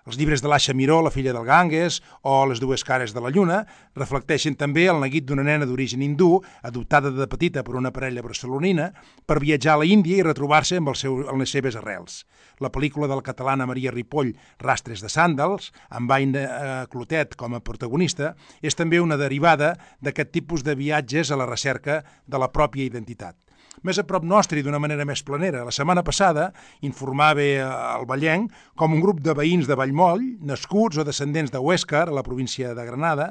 Els llibres de l'Asha Miró, La filla del Ganges, o Les dues cares de la lluna, reflecteixen també el neguit d'una nena d'origen hindú, adoptada de petita per una parella barcelonina, per viatjar a la Índia i retrobar-se amb les seves arrels. La pel·lícula de la catalana Maria Ripoll, Rastres de sàndals, amb Aina Clotet com a protagonista, és també una derivada d'aquest tipus de viatges a la recerca de la pròpia identitat. Més a prop nostre i d'una manera més planera, la setmana passada informava el Vallenc com un grup de veïns de Vallmoll, nascuts o descendents de Huéscar, a la província de Granada,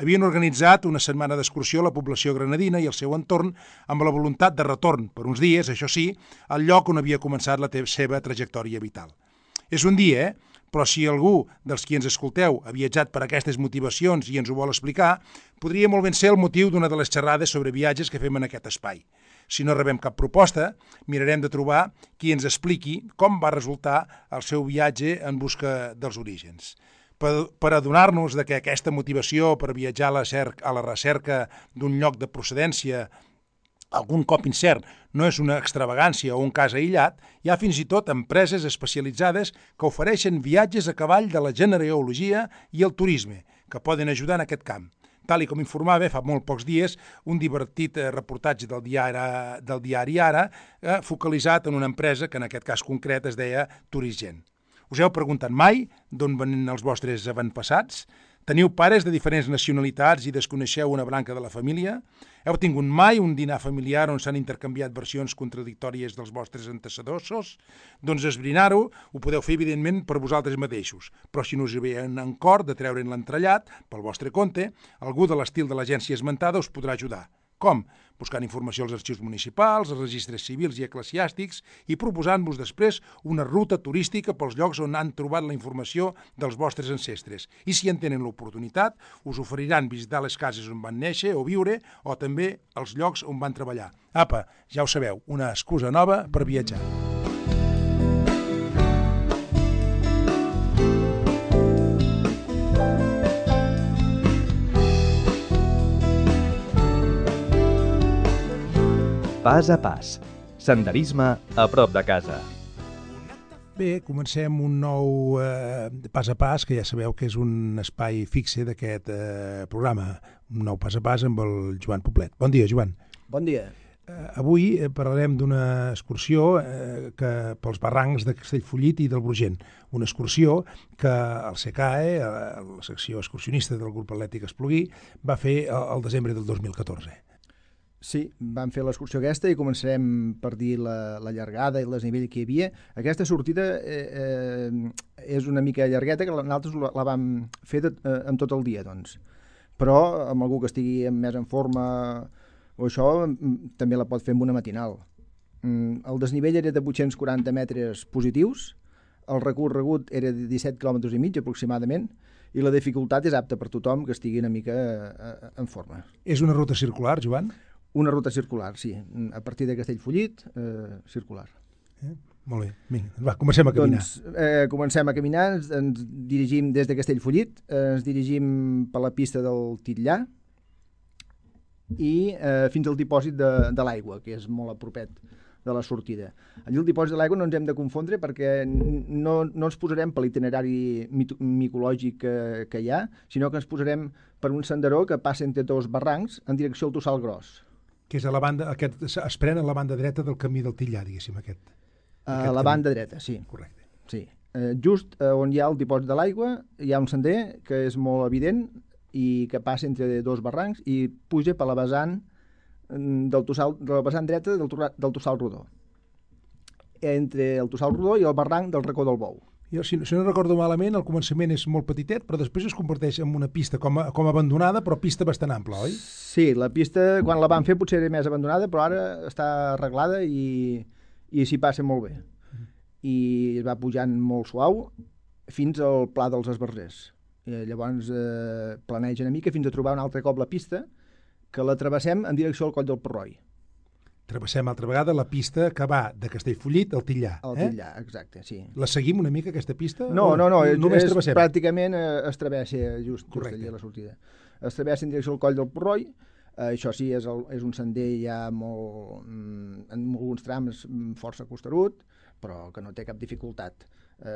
havien organitzat una setmana d'excursió a la població granadina i al seu entorn amb la voluntat de retorn, per uns dies, això sí, al lloc on havia començat la seva trajectòria vital. És un dia, però si algú dels qui ens escolteu ha viatjat per aquestes motivacions i ens ho vol explicar, podria molt ben ser el motiu d'una de les xerrades sobre viatges que fem en aquest espai. Si no rebem cap proposta, mirarem de trobar qui ens expliqui com va resultar el seu viatge en busca dels orígens. Per adonar-nos de que aquesta motivació per viatjar a la recerca d'un lloc de procedència algun cop incert no és una extravagància o un cas aïllat, hi ha fins i tot empreses especialitzades que ofereixen viatges a cavall de la genealogia i el turisme, que poden ajudar en aquest camp. Tal com informava fa molt pocs dies un divertit reportatge del diari Ara, focalitzat en una empresa que en aquest cas concret es deia Turisgen. Us heu preguntat mai d'on venen els vostres avantpassats? Teniu pares de diferents nacionalitats i desconeixeu una branca de la família? Heu tingut mai un dinar familiar on s'han intercanviat versions contradictòries dels vostres antecessors? Doncs esbrinar-ho ho podeu fer, evidentment, per vosaltres mateixos. Però si no us ve en cor de treure'n l'entrellat, pel vostre compte, algú de l'estil de l'agència esmentada us podrà ajudar. Com? Buscant informació als arxius municipals, als registres civils i eclesiàstics i proposant-vos després una ruta turística pels llocs on han trobat la informació dels vostres ancestres. I si en tenen l'oportunitat, us oferiran visitar les cases on van néixer o viure o també els llocs on van treballar. Apa, ja ho sabeu, una excusa nova per viatjar. Pas a pas. Senderisme a prop de casa. Bé, comencem un nou pas a pas, que ja sabeu que és un espai fixe d'aquest programa. Un nou pas a pas amb el Joan Poblet. Bon dia, Joan. Bon dia. Avui parlarem d'una excursió pels barrancs de Castellfollit i del Brugent. Una excursió que el SECAE, la secció excursionista del grup atlètic Esplugui, va fer al desembre del 2014. Sí, vam fer l'excursió aquesta i començarem per dir la llargada i el desnivell que hi havia. Aquesta sortida és una mica llargueta, que nosaltres la vam fer en tot el dia, doncs. Però amb algú que estigui més en forma o això, també la pot fer amb una matinal. El desnivell era de 840 metres positius, el recorregut era de 17 km i mig aproximadament, i la dificultat és apta per tothom que estigui una mica en forma. És una ruta circular, Joan? Una ruta circular, sí. A partir de Castellfollit, circular. Molt bé. Vinga, va, comencem a caminar. Doncs comencem a caminar, ens dirigim des de Castellfollit, ens dirigim per la pista del Titllà i fins al dipòsit de l'aigua, que és molt a propet de la sortida. Allí al dipòsit de l'aigua no ens hem de confondre perquè no ens posarem per l'itinerari micològic que hi ha, sinó que ens posarem per un senderó que passa entre dos barrancs en direcció al Tossal Gros. Que és a la banda, es pren a la banda dreta del camí del Titllà, diguéssim, aquest. A la banda dreta, sí. Correcte. Sí. Just on hi ha el dipòsit de l'aigua hi ha un sender que és molt evident i que passa entre dos barrancs i puja per la vessant de la vessant dreta del Tossal Rodó. Entre el Tossal Rodó i el barranc del Racó del Bou. Jo, si no recordo malament, al començament és molt petitet, però després es converteix en una pista com abandonada, però pista bastant ampla, oi? Sí, la pista, quan la van fer, potser era més abandonada, però ara està arreglada i s'hi passa molt bé. I es va pujant molt suau fins al Pla dels Esbarzers. Llavors planeja una mica fins a trobar un altre cop la pista, que la travessem en direcció al Coll del Porroi. Travessem altra vegada la pista que va de Castellfollit al Titllà. Al Titllà, exacte, sí. La seguim una mica, aquesta pista? No, només travessem? Pràcticament es travessa just allà a la sortida. Es travessa en direcció al Coll del Porroi. Això sí, és un sender ja molt, en alguns trams força costerut, però que no té cap dificultat.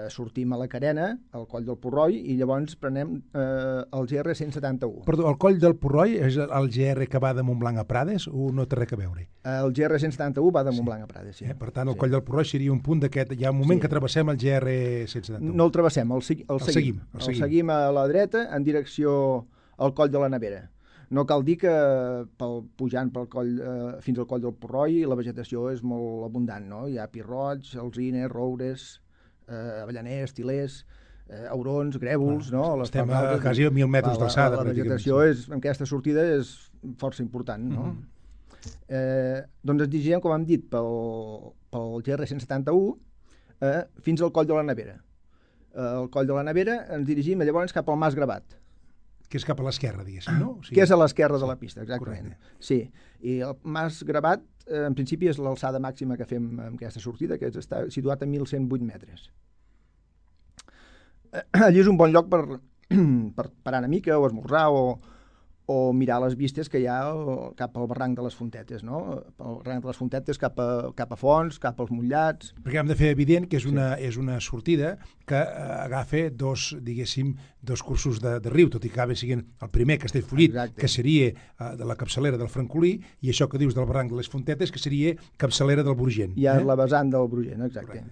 Sortim a la Carena, al Coll del Porroi, i llavors prenem el GR 171. Perdó, el Coll del Porroi és el GR que va de Montblanc a Prades o no té res a veure? El GR 171 va de Montblanc a Prades, sí. Per tant, el Coll del Porroi seria un punt d'aquest... Hi ha un moment que travessem el GR 171. No el travessem, el seguim. El seguim a la dreta en direcció al Coll de la Nevera. No cal dir que pujant pel coll, fins al Coll del Porroi la vegetació és molt abundant, no? Hi ha pirrots, alzines, roures, avellaners, tilers, aurons, grèvols, no? Estem a quasi a 1.000 metres d'alçada. La vegetació en aquesta sortida és força important, no? Doncs ens dirigim, com hem dit, pel GR 171 fins al Coll de la Nevera. Al Coll de la Nevera ens dirigim llavors cap al Mas Gravat. Que és cap a l'esquerra, diguéssim, no? Que és a l'esquerra de la pista, exactament. Correcte. Sí, i el Mas Gravat, en principi, és l'alçada màxima que fem en aquesta sortida, que està situat a 1.108 metres. Allí és un bon lloc per parar una mica, o esmorzar, o mirar les vistes que hi ha cap al barranc de les Fontetes, no? El barranc de les Fontetes cap a Fons, cap als Mollats... Perquè hem de fer evident que és una sortida que agafa dos cursos de riu, tot i que acaba sent el primer Castellfollit, que seria de la capçalera del Francolí, i això que dius del barranc de les Fontetes, que seria capçalera del Brugent. Ja és la vessant del Brugent, exacte.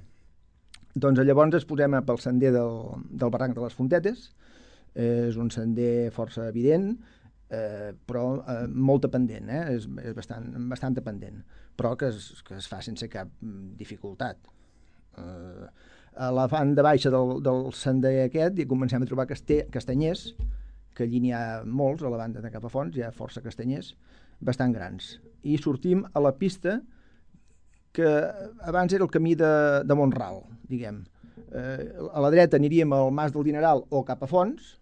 Doncs llavors ens posem pel sender del barranc de les Fontetes. És un sender força evident, però molt pendent, és bastant pendent, però que es fa sense cap dificultat. A la banda baixa del sender aquest hi comencem a trobar castanyers, que allí n'hi ha molts, a la banda de cap a Fons hi ha força castanyers bastant grans. I sortim a la pista que abans era el camí de Montral, diguem. A la dreta aniríem al Mas del Dineral o cap a Fons,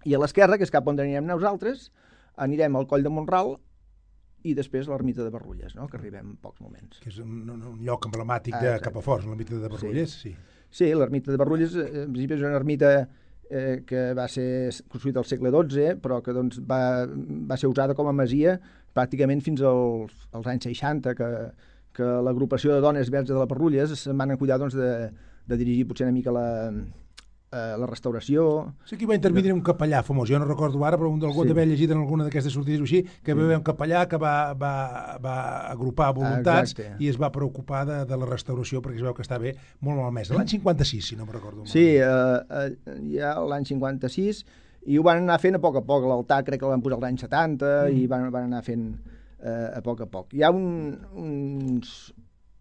i a l'esquerra, que és cap on anirem nosaltres, anirem al Coll de Montral i després a l'ermita de Barrulles, no? Que arribem en pocs moments. Que és un lloc emblemàtic de cap a Fons, l'ermita de Barrulles, sí. Sí, l'ermita de Barrulles, en principi és una ermita que va ser construïda al segle XII, però que doncs, va ser usada com a masia pràcticament fins als anys 60, que l'agrupació de dones verges de la Barrulles se'n van cuidar doncs, de dirigir potser una mica la restauració... Sí que hi va intervenir un capellà famós, jo no recordo ara, però algú d'haver llegit en alguna d'aquestes sortides així, que va haver un capellà que va agrupar voluntats i es va preocupar de la restauració perquè es veu que està bé molt malmès. L'any 56, si no me'n recordo. Sí, ja l'any 56, i ho van anar fent a poc, l'altar crec que el van posar l'any 70 i van anar fent a poc. Hi ha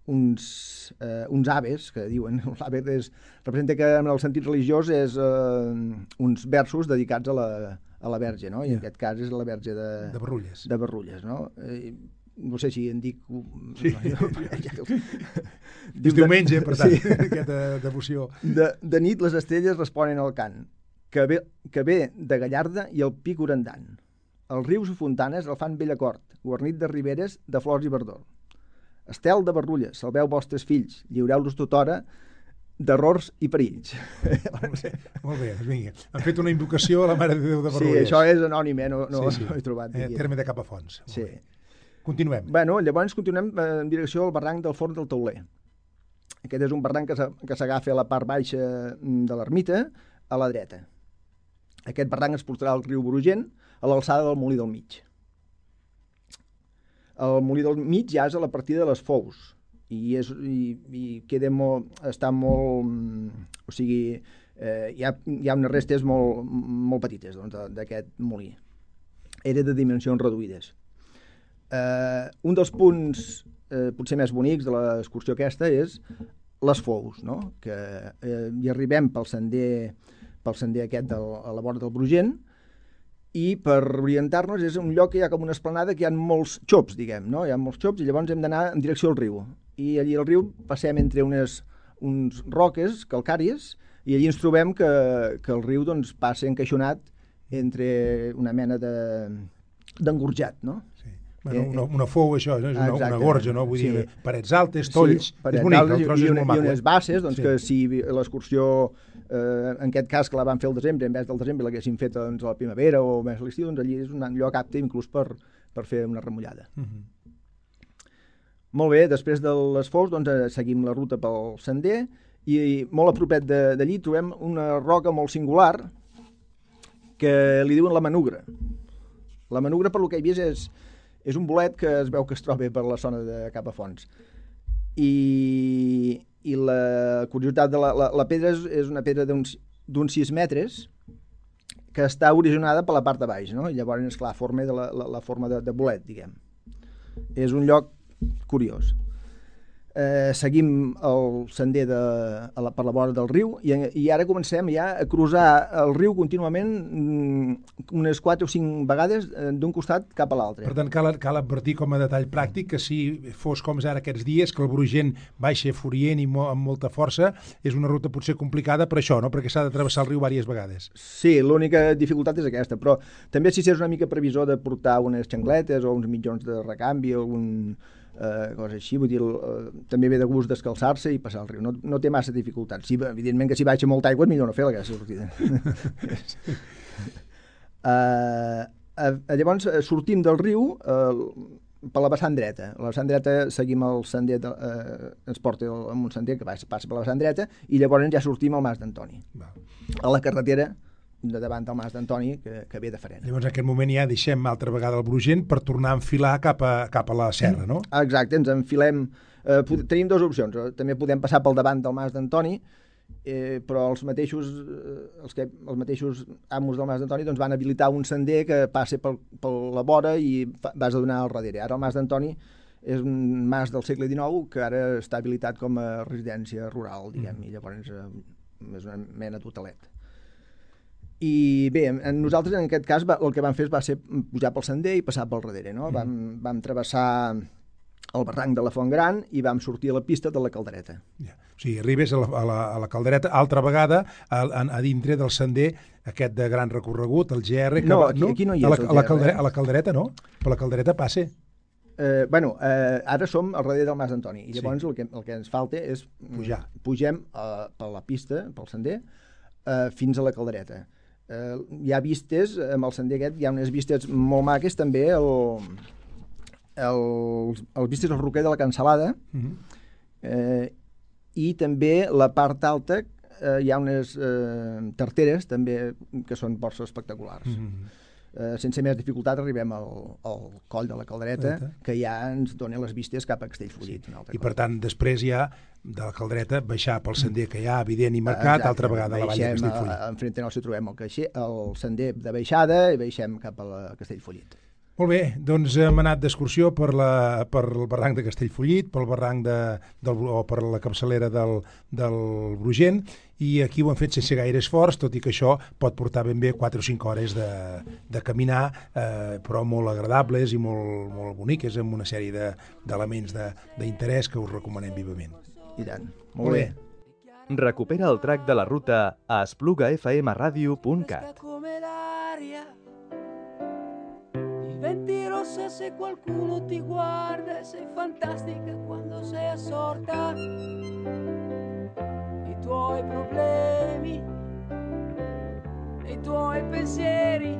uns aves, que diuen, l'ave representa que en el sentit religiós és uns versos dedicats a la Verge, no? I en aquest cas és la Verge de Barrulles, no? No sé si en dic... Sí, és diumenge, per tant, aquesta devoció. De nit les estrelles responen al cant, que ve de Gallarda i el pic orandant. Els rius i fontanes el fan bell acord, guarnit de riberes, de flors i verdor. Estel de Barrulles, salveu vostres fills, lliureu-los tothora d'errors i perills. Molt bé, doncs vinga. Han fet una invocació a la Mare de Déu de Barrulles. Sí, això és anònim, no ho he trobat. Terme de Capafonts. Sí. Continuem. Bueno, llavors continuem en direcció al barranc del Forn del Tauler. Aquest és un barranc que s'agafa a la part baixa de l'ermita, a la dreta. Aquest barranc es portarà al riu Brugent, a l'alçada del Molí del Mig. El Molí del Mig ja és a la partida de les Fous i queda està molt... O sigui, hi ha unes restes molt petites d'aquest molí. Era de dimensions reduïdes. Un dels punts potser més bonics de l'excursió aquesta és les Fous, no? Que hi arribem pel sender aquest a la vora del Brugent, i per orientar-nos és un lloc que hi ha com una esplanada que hi ha molts xops, diguem, no? Hi ha molts xops i llavors hem d'anar en direcció al riu. I allí al riu passem entre uns roques calcàries i allí ens trobem que el riu doncs, passa encaixonat entre una mena d'engorjat, no? Sí. Bueno, una fou, això, no? És una gorja, no? Vull dir, parets altes, tolls, és bonic, el tros és molt maco. I unes basses, doncs, que si l'excursió, en aquest cas que la van fer al desembre, en vez del desembre l'haguessin fet a la primavera o més a l'estiu, doncs allí és un lloc apte inclús per fer una remullada. Molt bé, després de les Fous doncs, seguim la ruta pel sender i molt a propet d'allí trobem una roca molt singular que li diuen la Manugra. La Manugra, per lo que he vist, és un bolet que es veu que es troba per la zona de Capafonts. I la curiositat de la pedra és una pedra d'uns 6 metres que està originada per la part de baix, no? I llavors, esclar, forma la forma de bolet, diguem. És un lloc curiós. Seguim el sender per la vora del riu i ara comencem ja a cruzar el riu contínuament unes 4 o 5 vegades d'un costat cap a l'altre. Per tant, cal advertir com a detall pràctic que si fos com ara aquests dies, que el Brugent baixa furient i amb molta força, és una ruta potser complicada per això, no? Perquè s'ha de travessar el riu diverses vegades. Sí, l'única dificultat és aquesta, però també si és una mica previsor de portar unes xancletes o uns mitjons de recanvi o algun cosa així, vull dir, també ve de gust descalçar-se i passar el riu. No té massa dificultats. Sí, evidentment que si baixa molta aigua és millor no fer aquesta sortida. Llavors sortim del riu per la vessant dreta. A la vessant dreta seguim el sender, ens porta en un sender que passa per la vessant dreta i llavors ja sortim al Mas d'Antoni. A la carretera de davant del Mas d'Antoni, que ve de Farena. Llavors en aquest moment ja deixem altra vegada el Brugent per tornar a enfilar cap a la serra, no? Exacte, ens enfilem. Tenim dues opcions. També podem passar pel davant del Mas d'Antoni, però els mateixos amos del Mas d'Antoni doncs, van habilitar un sender que passa per la vora i vas a donar al darrere. Ara el Mas d'Antoni és un mas del segle XIX que ara està habilitat com a residència rural, diguem, i llavors és una mena d'hotelet. I bé, nosaltres en aquest cas el que vam fer va ser pujar pel sender i passar pel darrere, no? Vam travessar el barranc de la Font Gran i vam sortir a la pista de la Caldereta. O sigui, arribes a la Caldereta altra vegada a dintre del sender aquest de gran recorregut, el GR... No, aquí no hi és el GR. A la Caldereta no, per la Caldereta passa. Ara som al darrere del Mas d'Antoni i llavors el que ens falta és pujar. Pugem per la pista, pel sender, fins a la Caldereta. Hi ha vistes, amb el sender aquest, hi ha unes vistes molt maques també, els vistes al roquer de la Cansalada, i també la part alta hi ha unes tarteres també que són força espectaculars. Sense més dificultat arribem al coll de la Caldereta, que ja ens dona les vistes cap a Castellfollit. I per tant, després ja de la Caldereta baixar pel sender que hi ha evident i marcat, altra vegada a la vall de Castellfollit. Enfront nostre trobem el sender de baixada i baixem cap a la Castellfollit. Molt bé, doncs hem anat d'excursió per el barranc de Castellfollit, pel barranc o per la capçalera del Brugent, i aquí ho hem fet sense gaire esforç, tot i que això pot portar ben bé 4 o 5 hores de caminar, però molt agradables i molt boniques, amb una sèrie d'elements d'interès que us recomanem vivament. I tant. Molt bé. Recupera el track de la ruta a esplugafmradio.cat. Diventi rossa se qualcuno ti guarda e sei fantastica quando sei assorta. I tuoi problemi, i tuoi pensieri.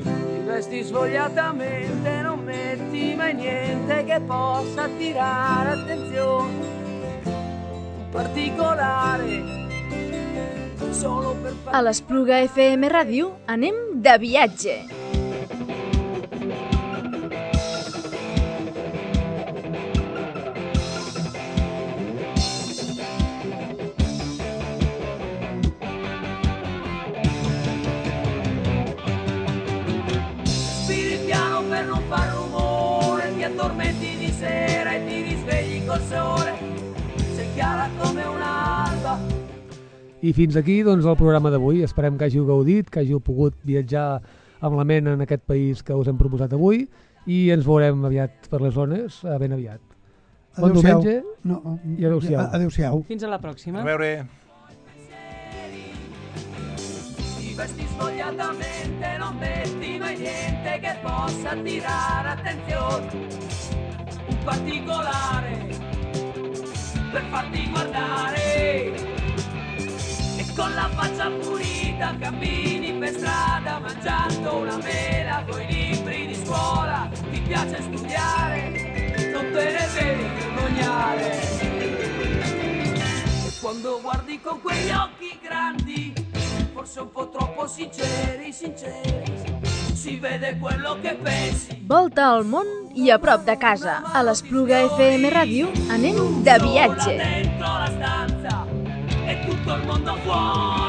Ti vesti svogliatamente, non metti mai niente che possa attirare attenzione. Un particolare. A l'Espluga FM Ràdio anem de viatge. Addormenti di sera e ti risvegli col sole, sei chiara come un'alba. I fins aquí doncs, el programa d'avui. Esperem que hàgiu gaudit, que hàgiu pogut viatjar amb la ment en aquest país que us hem proposat avui, i ens veurem aviat per les zones, ben aviat. Bon diumenge i adeu-siau. Adeu-siau. Fins a la pròxima. A veure. Vesti svogliatamente, non metti mai niente che possa attirare attenzione. Un particolare per farti guardare. E con la faccia pulita cammini per strada mangiando una mela coi libri di scuola. Ti piace studiare, non te ne devi vergognare. E quando guardi con quegli occhi grandi, forse un po' troppo sinceri, si vede quello che pensi. Volta al món i a prop de casa. A l'Espluga FM Ràdio anem de viatge. Dentro la stanza e tutto il mondo fuori.